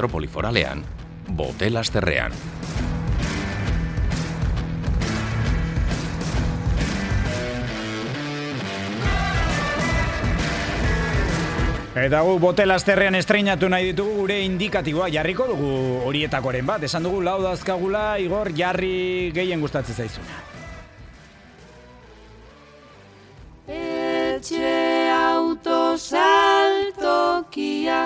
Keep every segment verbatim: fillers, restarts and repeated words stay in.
metropoli foralean, Botelasterrean. Eta gu Botelasterrean estreinatu nahi ditugu gure indikatiboa jarriko dugu horietakoren bat. Esan dugu lau dazkagula, Igor, jarri gehien gustatzen zaizuna. Etxe autosaltokia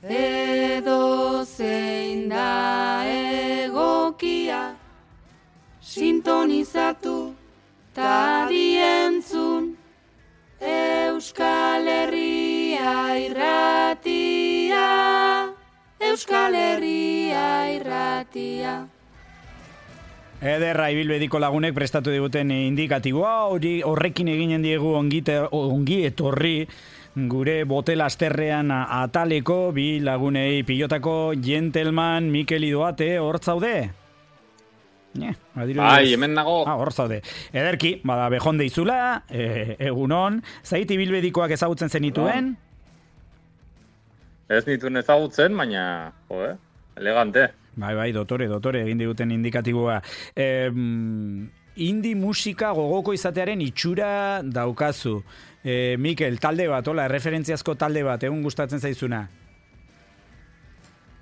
edo zein da egokia sintonizatu ta dientzun Euskal Herria irratia, Euskal Herria irratia. Ederra ibilbediko lagunek prestatu diguten indikatiboa, hori horrekin eginen diegu ongite, ongi etorri gure Botelasterrean ataleko bi lagunei pilotako gentleman Mikel Idoate, hor zaude? Ne, bai, hemen nago. Ah, hor zaude. Ederki, bada bejon deizula, e, egunon, zait ibilbedikoak ezagutzen zenituen? Ez nituen ezagutzen, baina, jo, eh? Elegante. Bai, bai, dotore, dotore, egin diguten indikatiboa. E, indi musika gogoko izatearen itxura daukazu. E, Mikel, talde bat, hola, referentziazko talde bat, egun gustatzen zaizuna?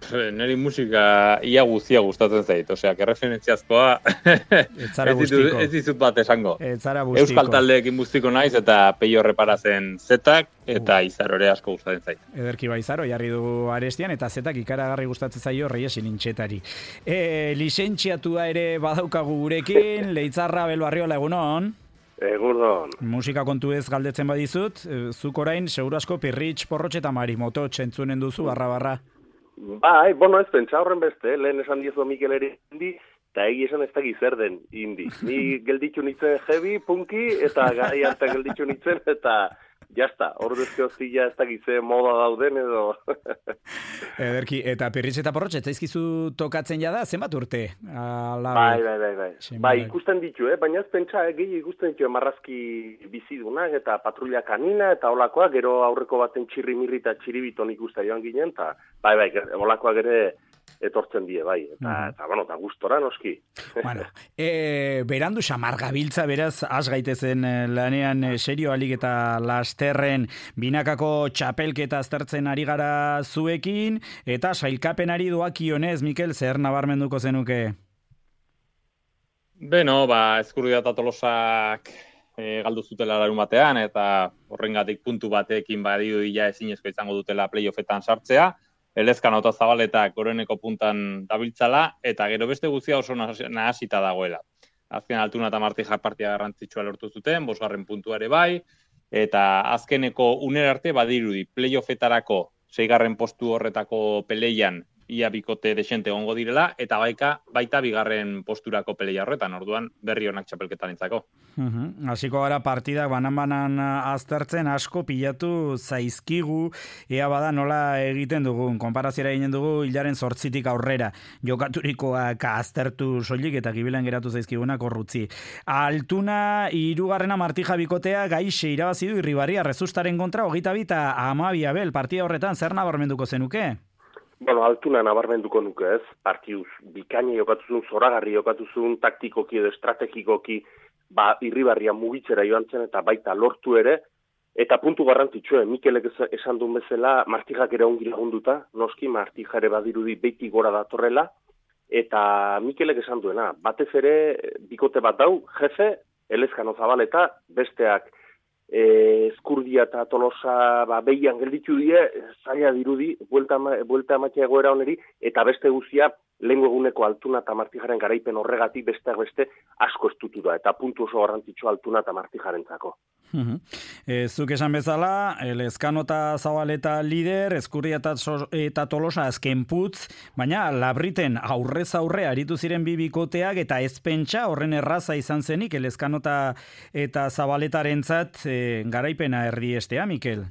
Neri musika ia guztia gustatzen zait, osea, que referentziazkoa ez dizut bat esango. Euskal taldeekin bustiko naiz eta Peio Reparazen zetak eta uh. Izarore asko gustatzen zait. Ederki ba Izaro, jarri du arestian eta zetak ikaragarri gustatzen zaio Reyes Nintxetari. E, lizentziatua ere badaukagu gurekin, Leitzarra Belbarriola, egunon. Egunon. Musika kontu ez galdetzen badizut, zuk orain seguru asko Pirritx, Porrotx eta Marimoto txentzunen duzu, barra barra. Bai, bueno, ez pentsa horren beste, lehen esan diezu Mikel ere indi, eta egi esan ez da zer den indi. Ni gelditxu nintzen heavy, punki, eta gai hartan gelditxu nintzen, eta jazta, hor dezke hoztia ez da gizze moda dauden edo. Ederki, eta Pirritx eta Porrotx, ez zaizkizu tokatzen jada, zenbat urte? Ala, bai, bai, bai, bai. Bai, ikusten ditu, eh? Baina ez pentsa, eh? Gehi ikusten ditu marrazki bizidunak eta patrulla kanina eta olakoak, gero aurreko baten txirrimirri eta txiribiton ikusta joan ginen, eta bai, bai, olakoak ere etortzen die, bai, eta, mm. eta bueno, eta gustora noski. Bueno, e, berandu xamar gabiltza, beraz, has gaitezen lanean serio alik eta lasterren binakako txapelketa aztertzen ari gara zuekin, eta sailkapenari doakionez, Mikel, zer nabarmenduko zenuke? Beno, ba, Ezkurdia eta Tolosak e, galdu zutela larun batean, eta horrengatik puntu batekin badidu ia ezinezko izango dutela playoffetan sartzea, Elezkano eta Zabaletak goreneko puntan dabiltzala, eta gero beste guztia oso nahasita dagoela. Azken Altuna eta Martija partia garrantzitsua lortu zuten, bosgarren puntua ere bai, eta azkeneko unera arte badirudi playoffetarako seigarren postu horretako peleian ia bikote desente egongo direla, eta baika, baita bigarren posturako peleia horretan, orduan berri honak txapelketarentzako. Uh-huh. Hasiko gara partidak banan-banan aztertzen asko pilatu zaizkigu, ea bada nola egiten dugun, konparaziera egiten dugu hilaren zortzitik aurrera, jokaturikoak aztertu soilik eta gibilan geratu zaizkigunak horrutzi. Altuna, hirugarrena Martija bikotea gaixe irabazi du Irribarria Rezustaren kontra, hogeita bi eta hamabi abel, partida horretan zer nabarmenduko zenuke? Bueno, Altuna nabarmenduko nuke ez, partiduz bikaini jokatuzun, zoragarri jokatuzun, taktikoki edo estrategikoki, ba, Irribarria mugitzera joan zen eta baita lortu ere, eta puntu garrantzitsue, Mikelek esan duen bezala, Martijak ere ongi lagunduta, noski, Martija ere badirudi beiti gora datorrela, eta Mikelek esan duena, batez ere, bikote bat dau, jefe, Elezkano Zabaleta, besteak, E, Ezkurdia eta Tolosa ba, behian gelditu die, zaila dirudi, buelta, buelta amatea egoera oneri, eta beste guzia, lehengo eguneko Altuna eta Martijaren garaipen horregatik besteak beste asko estutu da, eta puntu oso garrantzitsua Altuna eta Martijaren zako. Uh-huh. E, zuk esan bezala, Elezkano eta Zabaleta lider, Ezkurdia eta, eta Tolosa azken putz, baina labriten aurrez aurre aritu ziren bi bikoteak eta ez pentsa horren erraza izan zenik Elezkano eta, eta Zabaletarentzat e, garaipena erdiestea, Mikel?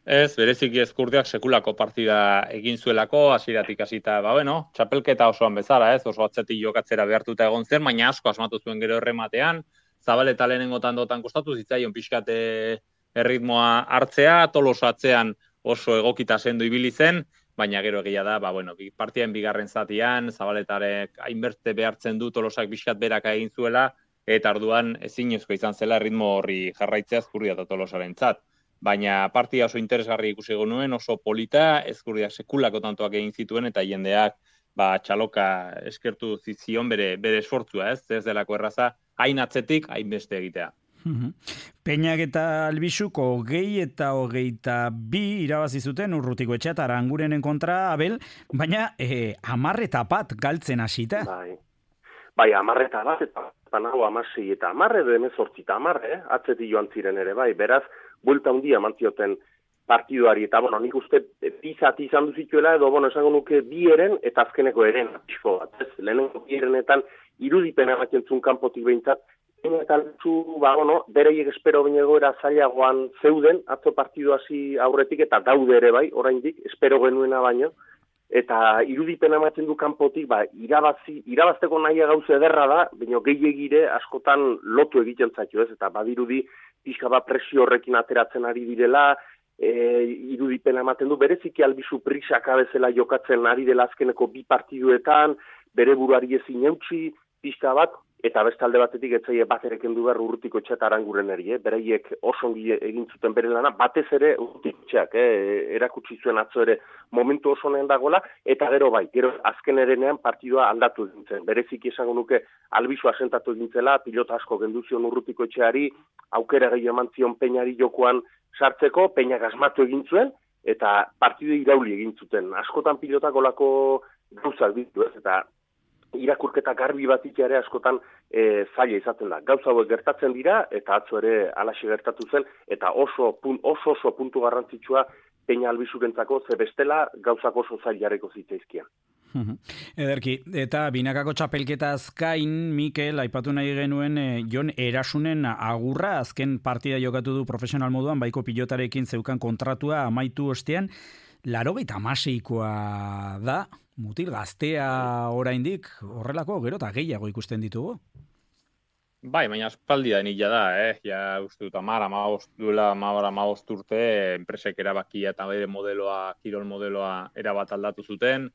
Ez, bereziki Ezkurdiak sekulako partida egin zuelako, hasieratik hasita, ba bueno, txapelketa osoan bezala, ez, oso atzetik jokatzera behartuta egon zen, baina asko asmatu zuen gero errematean, Zabaleta lehenengotan dotan kostatu zitzaion pixkate erritmoa hartzea, Tolosa atzean oso egokita sendu ibili zen, baina gero egia da, ba, bueno, partien bigarren zatian, Zabaletarek hainberte behartzen du Tolosak bizkat berak egin zuela, eta orduan ezinezko izan zela ritmo horri jarraitzea Ezkurdia eta Tolosarentzat. Baina partia oso interesgarri ikusi nuen, oso polita, Ezkurdia sekulako tantoak egin zituen, eta jendeak ba, txaloka eskertu zizion bere, bere esfortzua, ez? Ez delako erraza, hain atzetik, hain beste egitea. Peñak eta Albixuk hogei eta hogeita bi irabazi zuten Urrutiko Etxea eta Arangurenen kontra, Abel, baina eh, amarreta bat galtzen hasita. Bai, bai amarreta bat eta nago amasei eta amarre edo emezortzi eta amarre, atzetik joan ziren ere, bai, beraz, buelta handia mantzioten partiduari, eta, bueno, nik uste pizati izan duzituela, edo, bueno, esango nuke bi eren, eta azkeneko eren, pixko bat, ez, lehenengo bi erenetan, irudipena ematen zuen kanpotik behintzat, eta zu, ba, bueno, bereiek espero baino egoera zailagoan zeuden, atzo partidu hasi aurretik, eta daude ere bai, oraindik, espero genuena baino, eta irudipena ematen du kanpotik, ba, irabazi, irabazteko nahia gauza ederra da, baina gehiegire askotan lotu egiten zaio, ez, eta badirudi pixka bat presio horrekin ateratzen ari direla, e, irudipena ematen du, bereziki Albizu prisaka bezala jokatzen ari dela azkeneko bi partiduetan, bere buruari ezin eutsi, pixka bat, eta beste alde batetik etzaie bat ere kendu behar Urrutiko Etxea eta Aranguren eri, eh? Bereiek oso ongi egin zuten bere lana, batez ere Urrutiko Etxeak, eh? Erakutsi zuen atzo ere momentu oso honen dagoela, eta gero bai, gero azken erenean partidua aldatu egin zen. Bereziki esango nuke Albizu asentatu egin zela, pilota asko gendu zion Urrutiko Etxeari, aukera gehiago eman zion Peñari jokoan sartzeko, Peñak asmatu egin zuen, eta partidu irauli egin zuten. Askotan pilotak olako gauzak ditu, ez, eta irakurketa garbi bat ere askotan e, zaila izaten da. Gauza hauek gertatzen dira, eta atzo ere alaxe gertatu zen, eta oso pun, oso, oso puntu garrantzitsua Peña Albizurentzako, ze bestela gauzak oso zailareko zitzaizkian. Ederki, eta binakako txapelketaz gain, Mikel, aipatu nahi genuen e, Jon Erasunen agurra, azken partida jokatu du profesional moduan, baiko pilotarekin zeukan kontratua amaitu ostean, laurogeita hamaseikoa da, mutil gaztea oraindik, horrelako gero eta gehiago ikusten ditugu. Bai, baina aspaldi da nila da, eh? Ja, uste dut, amara, maost duela, amara, maost urte, enpresek erabakia eta bere modeloa, kirol modeloa erabat aldatu zuten.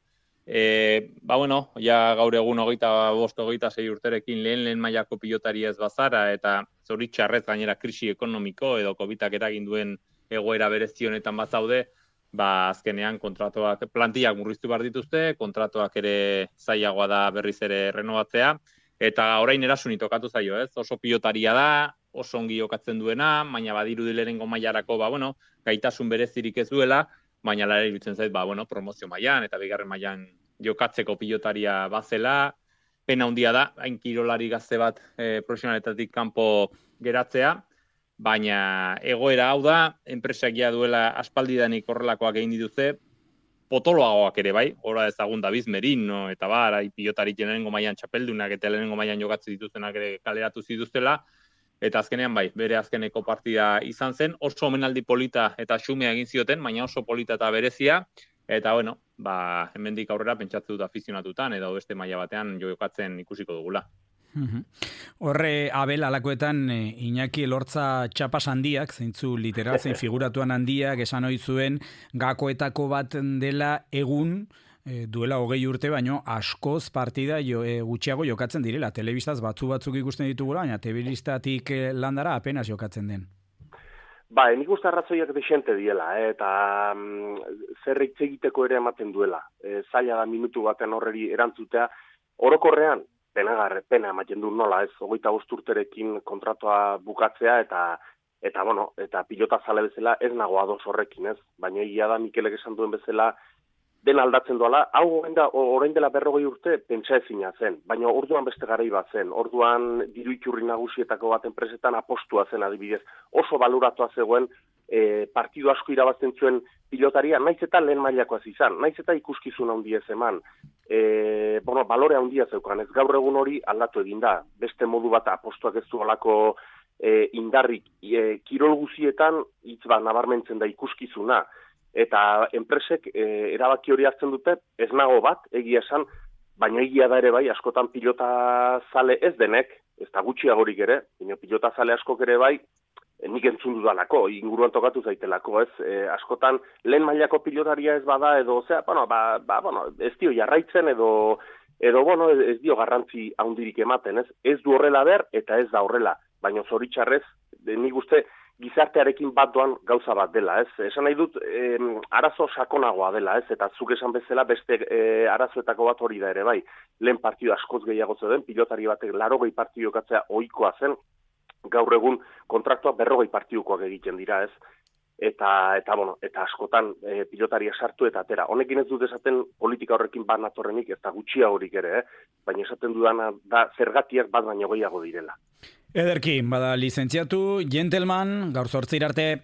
E, ba, bueno, ja gaur egun hogeita bost, hogeita sei urterekin lehen lehen mailako pilotari ez bazara, eta zoritxarrez gainera krisi ekonomiko edo covidak eragin duen egoera berezionetan bazaude, ba, azkenean kontratuak, plantillak murriztu behar dituzte, kontratuak ere zailagoa da berriz ere renovatzea, eta orain Erasuni tokatu zaio, ez? Oso pilotaria da, oso ongi jokatzen duena, baina badirudi lehenengo mailarako, ba, bueno, gaitasun berezirik ez duela, baina lara iruditzen zait, ba, bueno, promozio mailan eta bigarren mailan jokatzeko pilotaria bazela, pena handia da, hain kirolari gazte bat e, profesionaletatik kanpo geratzea, baina egoera hau da, enpresak ja duela aspaldidanik horrelakoak egin dituzte, potoloagoak ere bai, ora ezagun David Merino, eta bar, pilotarik lehenengo mailan txapeldunak eta lehenengo mailan jokatzen dituztenak ere kaleratu zituztela, eta azkenean bai, bere azkeneko partida izan zen, oso omenaldi polita eta xumea egin zioten, baina oso polita eta berezia, eta bueno, ba, hemendik aurrera pentsatze dut afizionatutan, edo beste maila batean jokatzen ikusiko dugula. Horre, Abel, alakoetan Iñaki Elortza txapas handiak, zeintzu literal zein figuratuan handiak, esan ohi zuen gakoetako bat dela egun, e, duela hogei urte, baino askoz partida jo, e, gutxiago jokatzen direla. Telebistaz batzu batzuk ikusten ditugula, baina telebistatik landara apenas jokatzen den. Ba, nik uste arrazoiak desente diela, eh, eta mm, zer hitz egiteko ere ematen duela. E, zaila da minutu baten horreri erantzutea, orokorrean, penagarre, pena ematen du nola, ez, hogeita bost urterekin kontratua bukatzea, eta, eta, bueno, eta pilota zale bezala ez nago ados horrekin, ez, baina egia da Mikelek esan duen bezala dena aldatzen doala, hau orain dela berrogei urte pentsa ezina zen, baina orduan beste garai bat zen, orduan diru iturri nagusietako bat enpresetan apostua zen adibidez, oso baluratua zegoen, e, partidu asko irabazten zuen pilotaria, naiz eta lehen mailakoaz izan, naiz eta ikuskizun handia ez eman, e, bueno, balore handia zeukan, ez gaur egun hori aldatu egin da, beste modu bat apostuak ez du olako e, indarrik, e, kirol guzietan hitz bat nabarmentzen da ikuskizuna, eta enpresek e, erabaki hori hartzen dute, ez nago bat, egia esan, baina egia da ere bai, askotan pilota zale ez denek, ez da gutxiagorik ere, baina pilota zale askok ere bai, nik entzun dudalako, inguruan tokatu zaitelako, ez? E, askotan, lehen mailako pilotaria ez bada, edo, zera, bueno, ba, ba, bueno, ez dio jarraitzen, edo, edo, bueno, ez dio garrantzi handirik ematen, ez? Ez du horrela ber, eta ez da horrela, baina zoritxarrez, nik uste, gizartearekin bat doan gauza bat dela, ez? Esan nahi dut, e, arazo sakonagoa dela, ez? Eta zuk esan bezala beste e, arazoetako bat hori da ere, bai. Lehen partidu askoz gehiago zeuden, pilotari batek larogei partidu jokatzea ohikoa zen, gaur egun kontraktua berrogei partidukoak egiten dira, ez? Eta, eta, bueno, eta askotan e, pilotaria sartu eta atera. Honekin ez dut esaten politika horrekin bat natorrenik, ez da gutxia horik ere, eh? Baina esaten dudana da zergatiak bat baino gehiago direla. Ederki, bada lizentziatu, gentleman, gaur zortzir arte.